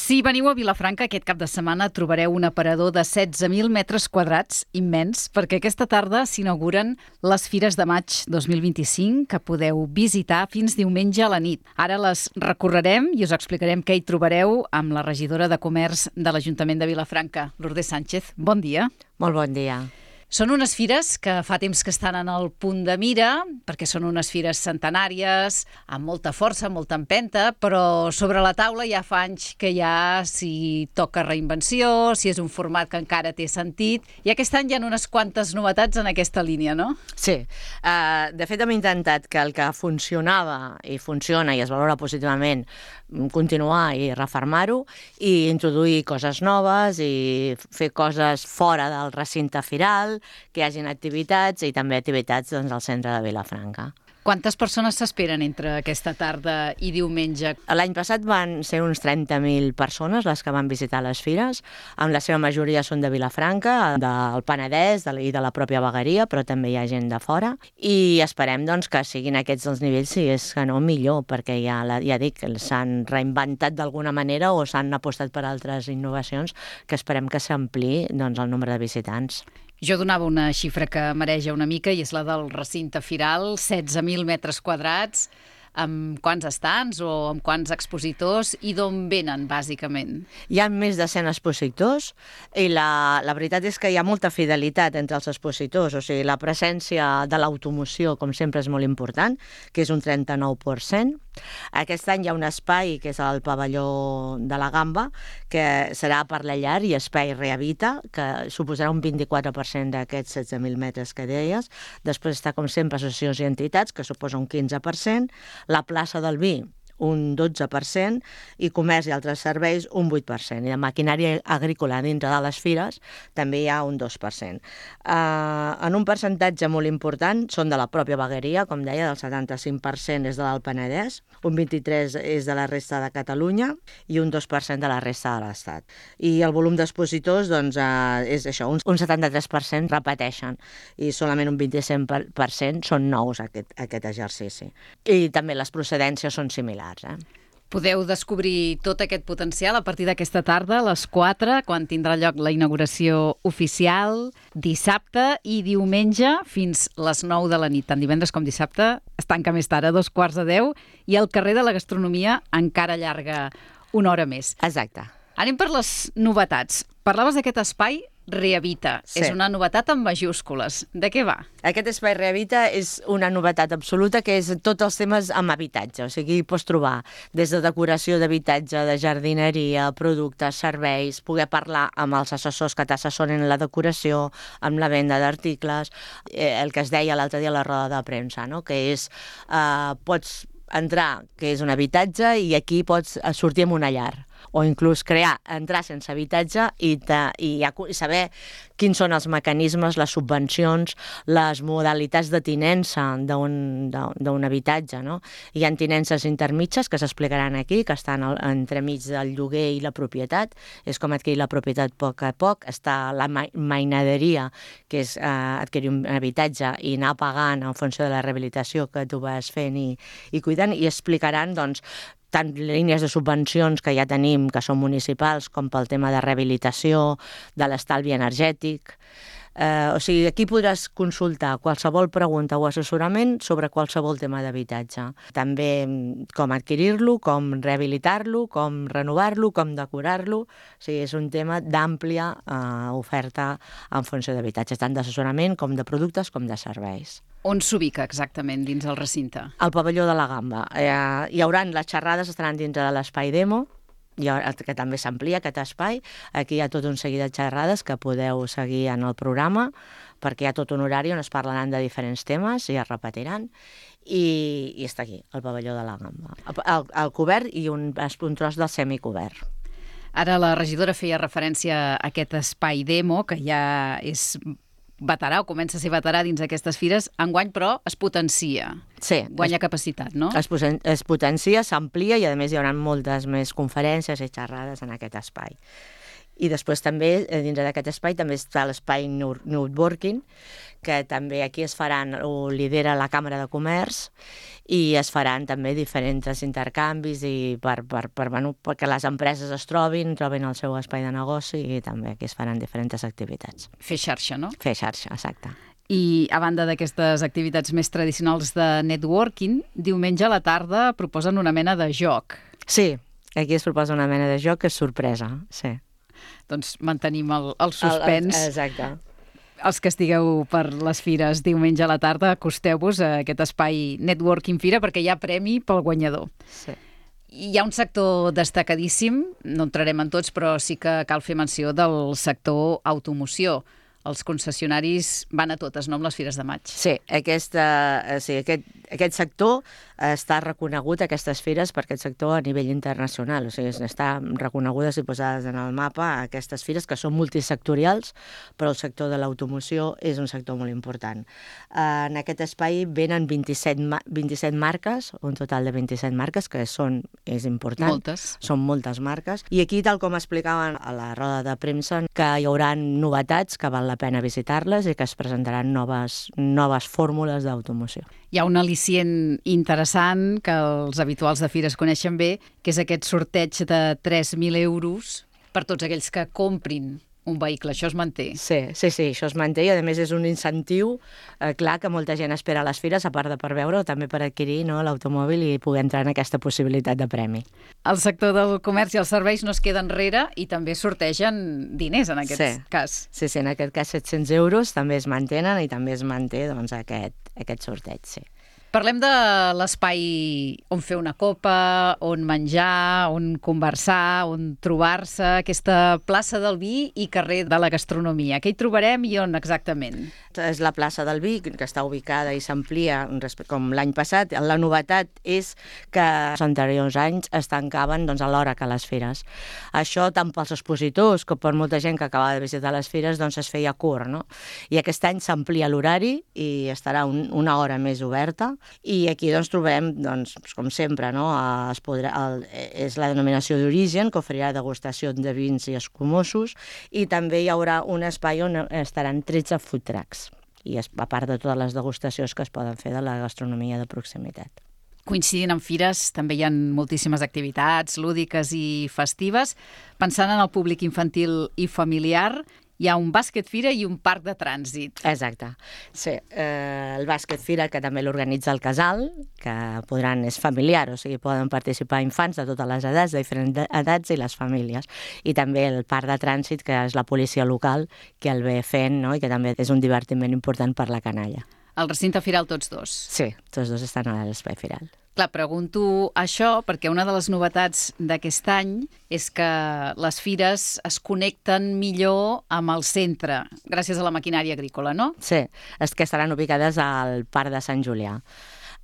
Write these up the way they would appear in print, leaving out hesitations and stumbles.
Si veniu a Vilafranca aquest cap de setmana trobareu un aparador de 16.000 metres quadrats immens, perquè aquesta tarda s'inauguren les Fires de Maig 2025 que podeu visitar fins diumenge a la nit. Ara les recorrerem i us explicarem què hi trobareu amb la regidora de Comerç de l'Ajuntament de Vilafranca, Lourdes Sánchez. Bon dia. Molt bon dia. Són unes fires que fa temps que estan en el punt de mira, perquè són unes fires centenàries, amb molta força, molta empenta, però sobre la taula ja fa anys que ja s'hi toca reinvenció, si és un format que encara té sentit, i aquest any hi ha unes quantes novetats en aquesta línia, no? Sí. De fet, hem intentat que el que funcionava i funciona i es valora positivament continuar i refermar-ho i introduir coses noves i fer coses fora del recinte firal, que hi hagin activitats i també activitats al centre de Vilafranca. Quantes persones s'esperen entre aquesta tarda i diumenge? L'any passat van ser uns 30.000 persones les que van visitar les fires, amb la seva majoria són de Vilafranca, del Penedès i de la pròpia vegueria, però també hi ha gent de fora, i esperem doncs, que siguin aquests els nivells, si és que no millor, perquè ja dic, s'han reinventat d'alguna manera o s'han apostat per altres innovacions que esperem que s'ampliï doncs, el nombre de visitants. Jo donava una xifra que mareja una mica i és la del recinte firal, 16.000 metres quadrats, amb quants estants o amb quants expositors i d'on venen, bàsicament? Hi ha més de 100 expositors i la veritat és que hi ha molta fidelitat entre els expositors, o sigui, la presència de l'automoció, com sempre, és molt important, que és un 39%. Aquest any hi ha un espai, que és el pavelló de la Gamba, que serà per la llar i espai Rehabita, que suposarà un 24% d'aquests 16.000 metres que deies. Després està, com sempre, associacions i entitats, que suposa un 15%, la plaça del vi, un 12%, i comerç i altres serveis, un 8%. I de maquinària agrícola dintre de les fires també hi ha un 2%. En un percentatge molt important són de la pròpia vegueria, com deia, del 75% és de l'Alt Penedès, un 23% és de la resta de Catalunya i un 2% de la resta de l'Estat. I el volum d'expositors doncs, és això, un 73% repeteixen i solament un 25% són nous aquest exercici. I també les procedències són similars. Podeu descobrir tot aquest potencial a partir d'aquesta tarda, a les 4, quan tindrà lloc la inauguració oficial, dissabte i diumenge fins les 9 de la nit. Tant divendres com dissabte es tanca més tard, a 2:45, i el carrer de la Gastronomia encara allarga una hora més. Exacte. Anem per les novetats. Parlaves d'aquest espai Rehabita. Sí. És una novetat en majúscules. De què va? Aquest espai Rehabita és una novetat absoluta, que és tots els temes amb habitatge. O sigui, hi pots trobar des de decoració d'habitatge, de jardineria, productes, serveis, poder parlar amb els assessors que t'assessoren la decoració, amb la venda d'articles, el que es deia l'altre dia a la roda de premsa, no? Que és, pots entrar, que és un habitatge, i aquí pots sortir amb una llar. O inclús entrar sense habitatge i saber quins són els mecanismes, les subvencions, les modalitats de tinença d'un habitatge. No? Hi ha tinences intermitges que s'explicaran aquí, que estan entremig del lloguer i la propietat. És com adquirir la propietat a poc. Està la mainaderia, que és adquirir un habitatge i anar pagant en funció de la rehabilitació que tu vas fent i cuidant, i explicaran, doncs, tant línies de subvencions que ja tenim, que són municipals, com pel tema de rehabilitació, de l'estalvi energètic. O sigui, aquí podràs consultar qualsevol pregunta o assessorament sobre qualsevol tema d'habitatge. També com adquirir-lo, com rehabilitar-lo, com renovar-lo, com decorar-lo. O sigui, és un tema d'àmplia oferta en funció d'habitatge, tant d'assessorament com de productes com de serveis. On s'ubica exactament dins el recinte? Al pavelló de la Gamba. Hi haurà les xerrades, estaran dintre de l'espai demo, que també s'amplia aquest espai. Aquí hi ha tot un seguit de xerrades que podeu seguir en el programa, perquè hi ha tot un horari on es parlaran de diferents temes i es repetiran. I està aquí, al pavelló de la Gamba. El cobert i un tros del semicobert. Ara la regidora feia referència a aquest espai demo, que ja és veterà o comença a ser veterà dins aquestes fires. Enguany, però, es potencia. Sí. Guanya capacitat, no? Es potencia, s'amplia, i a més hi haurà moltes més conferències i xerrades en aquest espai. I després també, dins d'aquest espai, també està l'espai Networking, que també aquí es faran, ho lidera la Càmera de Comerç, i es faran també diferents intercanvis i perquè les empreses es trobin el seu espai de negoci, i també aquí es faran diferents activitats. Fer xarxa, no? Fer xarxa, exacte. I a banda d'aquestes activitats més tradicionals de networking, diumenge a la tarda proposen una mena de joc. Sí, aquí es proposa una mena de joc que és sorpresa, sí. Doncs mantenim el suspens. Exacte. Els que estigueu per les fires diumenge a la tarda, acosteu-vos a aquest espai Networking Fira perquè hi ha premi pel guanyador. Sí. Hi ha un sector destacadíssim, no entrarem en tots, però sí que cal fer menció del sector automoció. Els concessionaris van a totes, no amb les fires de maig. Sí, aquest sector està reconegut, aquestes fires, per aquest sector a nivell internacional. O sigui, estan reconegudes i posades en el mapa aquestes fires, que són multisectorials, però el sector de l'automoció és un sector molt important. En aquest espai venen 27 marques, un total de 27 marques, que és important. Moltes. Són moltes marques. I aquí, tal com explicaven a la roda de premsa, que hi haurà novetats que val la pena visitar-les i que es presentaran noves fórmules d'automoció. Hi ha un al·licient interessant que els habituals de fires coneixen bé, que és aquest sorteig de 3.000 euros per tots aquells que comprin un vehicle. Això es manté. Sí, això es manté i a més és un incentiu clar que molta gent espera a les fires, a part de per veure o també per adquirir l'automòbil i poder entrar en aquesta possibilitat de premi. El sector del comerç i els serveis no es queda enrere i també sortegen diners en aquest cas. Sí, en aquest cas 700 euros també es mantenen i també es manté aquest sorteig, sí. Parlem de l'espai on fer una copa, on menjar, on conversar, on trobar-se, aquesta plaça del vi i carrer de la gastronomia. Què hi trobarem i on exactament? És la plaça del vi, que està ubicada i s'amplia com l'any passat. La novetat és que els anteriors anys es tancaven a l'hora que les fires. Això tant pels expositors com per molta gent que acaba de visitar les fires es feia curt, no? I aquest any s'amplia l'horari i estarà una hora més oberta. I aquí trobem, com sempre, és la denominació d'origen, que oferirà degustació de vins i escumosos, i també hi haurà un espai on estaran 13 food trucks, i a part de totes les degustacions que es poden fer de la gastronomia de proximitat. Coincidint amb fires, també hi ha moltíssimes activitats lúdiques i festives. Pensant en el públic infantil i familiar, hi ha un bàsquet fira i un parc de trànsit. Exacte. Sí, el bàsquet fira, que també l'organitza el Casal, que és familiar, o sigui, poden participar infants de totes les edats, de diferents edats i les famílies. I també el parc de trànsit, que és la policia local, que el ve fent, no? I que també és un divertiment important per la canalla. Al recinte firal tots dos? Sí, tots dos estan a l'espai firal. Clar, pregunto això perquè una de les novetats d'aquest any és que les fires es connecten millor amb el centre, gràcies a la maquinària agrícola, no? Sí, és que estaran ubicades al Parc de Sant Julià.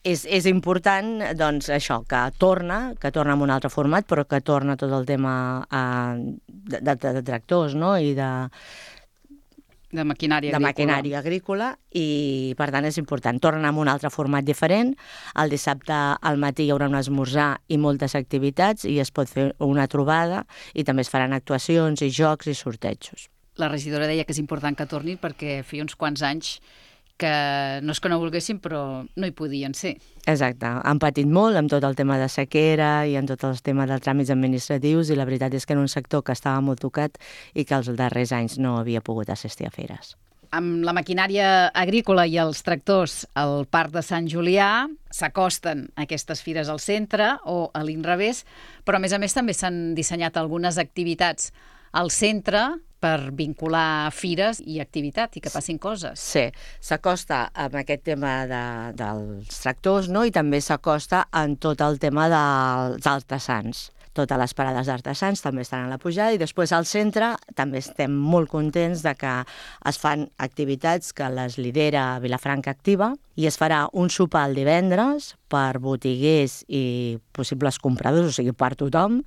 És important, això, que torna amb un altre format, però que torna tot el tema de tractors, no?, i de maquinària agrícola, i per tant és important. Tornen amb un altre format diferent. El dissabte al matí hi haurà un esmorzar i moltes activitats i es pot fer una trobada i també es faran actuacions i jocs i sortejos. La regidora deia que és important que tornin perquè feia uns quants anys que no és que no volguessin, però no hi podien ser. Exacte. Han patit molt amb tot el tema de sequera i amb tot el tema dels tràmits administratius i la veritat és que era un sector que estava molt tocat i que els darrers anys no havia pogut assistir a fires. Amb la maquinària agrícola i els tractors al Parc de Sant Julià s'acosten aquestes fires al centre o a l'inrevés, però a més també s'han dissenyat algunes activitats al centre per vincular fires i activitat i que passin coses. Sí, s'acosta amb aquest tema dels tractors, no?, i també s'acosta en tot el tema dels artesans. Totes les parades d'artesans també estan a la pujada i després al centre també estem molt contents de que es fan activitats que les lidera Vilafranca Activa i es farà un sopar el divendres per botiguers i possibles compradors, o sigui, per tothom,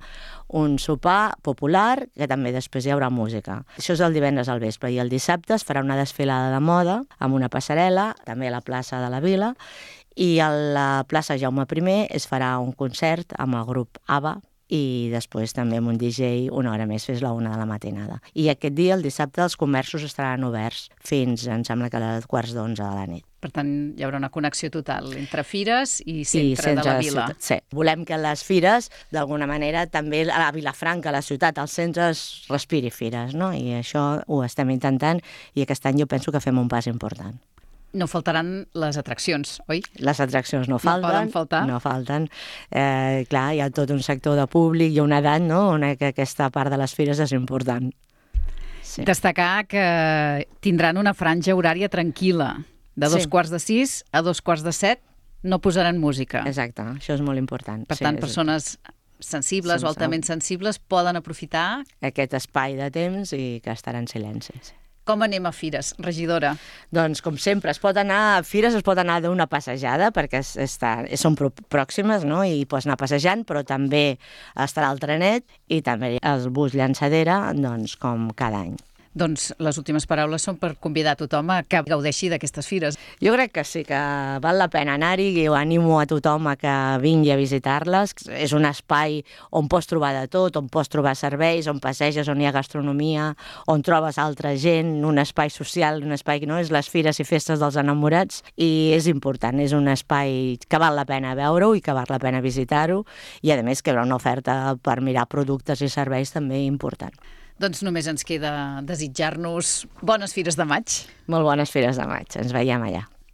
un sopar popular que també després hi haurà música. Això és el divendres al vespre i el dissabte es farà una desfilada de moda amb una passarel·la, també a la plaça de la Vila, i a la plaça Jaume I es farà un concert amb el grup ABBA i després també amb un DJ una hora més fins la 1 de la matinada. I aquest dia, el dissabte, els comerços estaran oberts fins, em sembla que a 11:15 de la nit. Per tant, hi haurà una connexió total entre fires i centre de la vila. Sí, volem que les fires, d'alguna manera, també a la Vilafranca, a la ciutat, als centres, respiri fires, no? I això ho estem intentant i aquest any jo penso que fem un pas important. No faltaran les atraccions, oi? Les atraccions no falten. No poden faltar. No falten. Clar, hi ha tot un sector de públic, hi ha una edat, no?, on aquesta part de les fires és important. Sí. Destacar que tindran una franja horària tranquil·la. De 5:45 a 5:45 no posaran música. Exacte, això és molt important. Per tant, persones sensibles o altament sensibles poden aprofitar aquest espai de temps i que estarà en silenci. Com anem a fires, regidora? Doncs, com sempre, es pot anar a fires, es pot anar d'una passejada, perquè són pròximes, no?, i pots anar passejant, però també estarà el trenet i també el bus llançadera, doncs, com cada any. Doncs les últimes paraules són per convidar a tothom a que gaudeixi d'aquestes fires. Jo crec que sí, que val la pena anar-hi i animo a tothom a que vingui a visitar-les. És un espai on pots trobar de tot, on pots trobar serveis, on passeges, on hi ha gastronomia, on trobes altra gent, un espai social, un espai que no és les fires i festes dels enamorats, i és important, és un espai que val la pena veure-ho i que val la pena visitar-ho, i a més que hi haurà una oferta per mirar productes i serveis també important. Doncs només ens queda desitjar-nos bones fires de maig. Molt bones fires de maig. Ens veiem allà.